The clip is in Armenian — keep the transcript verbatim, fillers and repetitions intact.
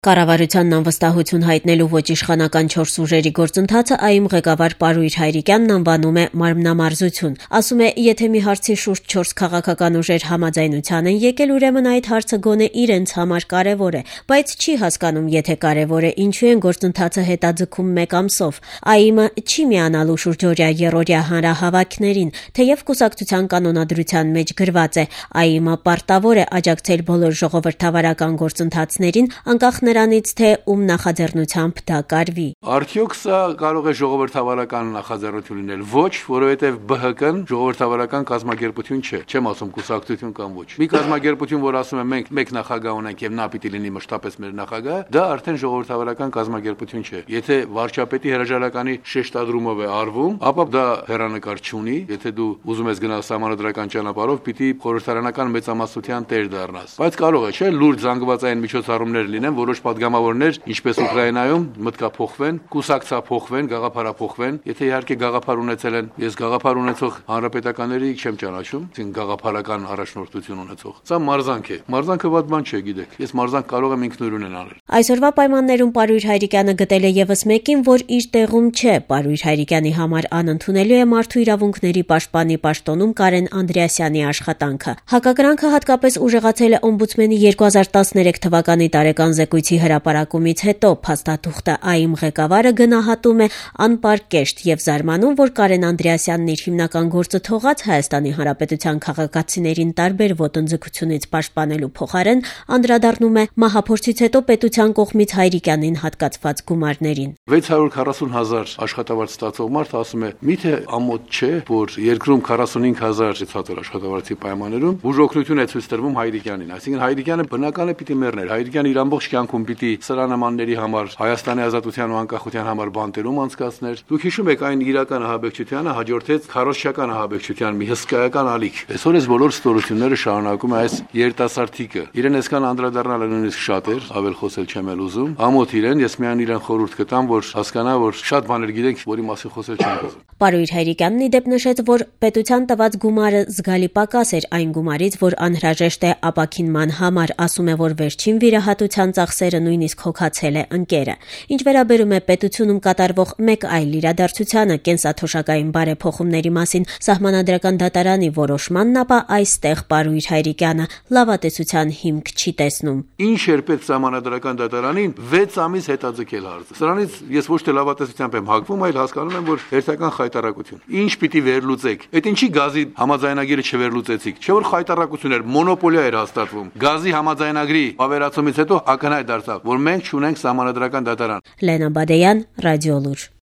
Կառավարությանն անվստահություն հայտնելու ոչ իշխանական չորս ուժերի գործընթացը ԱԻՄ ղեկավար Պարույր Հայրիկյանն անվանում է մարմնամարզություն։ Ասում է, եթե մի հարցի շուրջ չորս քաղաքական ուժեր համաձայնության են եկել, ուրեմն այդ հարցը գոնե իրենց համար կարևոր է, բայց չի հասկանում, եթե կարևոր է, ինչու են գործընթացը հետաձգում մեկ ամսով։ ԱԻՄ-ը չի միանալու շուրջօրյա երրորդյա հանրահավաքներին, թեև կուսակցության կանոնադրության մեջ գրված է, ԱԻՄ-ը պարտավոր է աջակցել բոլոր ժողովրդավարական գործընթացներին, անկախ նրանից, թե ում նախաձեռնությամբ դա կարվի։ Արդյոք սա կարող է ժողովրդավարական նախաձեռնություն լինել։ Ոչ, որովհետև ԲՀԿ-ն ժողովրդավարական կազմակերպություն չէ, չեմ ասում կուսակցություն կամ ոչ։ Մի կազմակերպություն, որ ասում է մենք մեկ նախագահ ունենք եւ նա պիտի լինի մշտապես մեր նախագահը, դա արդեն ժողովրդավարական կազմակերպություն չէ։ Եթե վարչապետի հրաժարականի շեշտադրումով է արվում, ապա դա հեռանկար չունի։ Եթե դու ուզում ես գնալ սահմանադրական ճանապարհով, պիտի խորհրդարանական մեծամասնության տեր դառնաս։ Բայց կարող է, չէ, լուրջ զանգվածային միջոցառումներ լինեն, որոշ պատգամավորներ, ինչպես Ուկրաինայում, մտկափոխվեն, կուսակցափոխվեն, գաղափարափոխվեն։ Եթե իհարկե գաղափար ունեցել են, ես գաղափար ունեցող հանրապետականների չեմ ճանաչում, այսինքն գաղափարական առաջնորդություն ունեցող։ Սա մարզանք է։ Մարզանքը ված բան չէ, գիտեք։ Ես մարզանք կարող եմ ինքնուրույն անել։ Այսօրվա պայմաններում Պարույր Հայրիկյանը գտել է եւս մեկին, որ իր տեղում չէ։ Պարույր Հայրիկյանի համար անընդունելի է մարդու իրավունքների պաշտպանի պաշտոնում Կարեն Անդրեասյանի աշխատանքը։ Հակակրանքը հատկապես ուժեղացել է օմբուդսմենի երկու հազար տասներեք թվականի տարեկան զեկույցի հրապարակումից հետո փաստաթուղթը ԱԻՄ ղեկավարը գնահատում է անպարկեշտ եւ զարմանում, որ Կարեն Անդրեասյանն իր հիմնական գործը թողած Հայաստանի Հանրապետության քաղաքացիներին տարբեր ոտնձգությունից պաշտպանելու փոխարեն անդրադառնում է մահափորձից հետո պետության կողմից Հայրիկյանին հատկացված գումարներին։ վեց հարյուր քառասուն հազար աշխատավարձ ստացող մարդ ասում է՝ միթե ամոթ չէ, որ երկրում քառասունհինգ հազար ցածր աշխատավարձի պայմաններում բուժօգնություն է ցույց տրվում Հայրիկյանին։ Այսինքն Հայրիկյանը բնական է պիտի մեռներ։ Հայրիկյանը իր ամբողջ կյանքում պիտի սրանամանների համար, Հայաստանի ազատության ու անկախության համար բանտերում անցկացներ։ Դուք հիշում եք այն իրական ահաբեկչությանը հաջորդեց քարոզչական ահաբեկչության մի հսկայական ալիք։ Այսօր այս բոլոր ստորությունները շարունակում է այս երիտասարդիկը։ Իրեն այսքան անդրադառնալը նույնիսկ շատ էր, ավել խոսել չեմ էլ ուզում։ Ամոթ իրեն, ես միայն իրեն խորհուրդ կտամ, որ հասկանա, որ շատ բաներ գիտենք, որի մասին խոսել չենք ուզում։ Պարույր Հայրիկյանն ի դեպ նշեց, որ պետության տված գումարը զգալի պակաս էր այն գումարից, որ անհրաժեշտ է ապաքինման համար, ասում է, որ վերջին վիրահատության ծախսերը նույնիսկ հոգացել է ընկերը։ Ինչ վերաբերում է պետությունում կատարվող մեկ այլ իրադարձությանը, կենսաթոշակային բարեփոխումների մասին սահմանադրական դատարանի որոշմանն, ապա այստեղ Պարույր Հայրիկյանը լավատեսության հիմք չի տեսնում։ Ինչ էր պետք սահմանադրական դատարանին վեց ամիս հետաձգել հարցը։ Սրանից ես ոչ թե լավատեսությամբ եմ հակվում, այլ հասկանում եմ, որ հերթական խայտարակություն։ Ինչ պիտի վերլուծեք։ Այդ ինչի գազի համաձայնագիրը չվերլուծեցիք։ Չէ՞ որ խայտարակություն էր, մոնոպոլիա էր հաստատվում։ Գազի համաձայնագրի ավերացումից հետո ակնհայտ դարձավ, որ մենք չունենք սահմանադրական դատարան։ Լենա Բադեյան, Ռադիոլուր։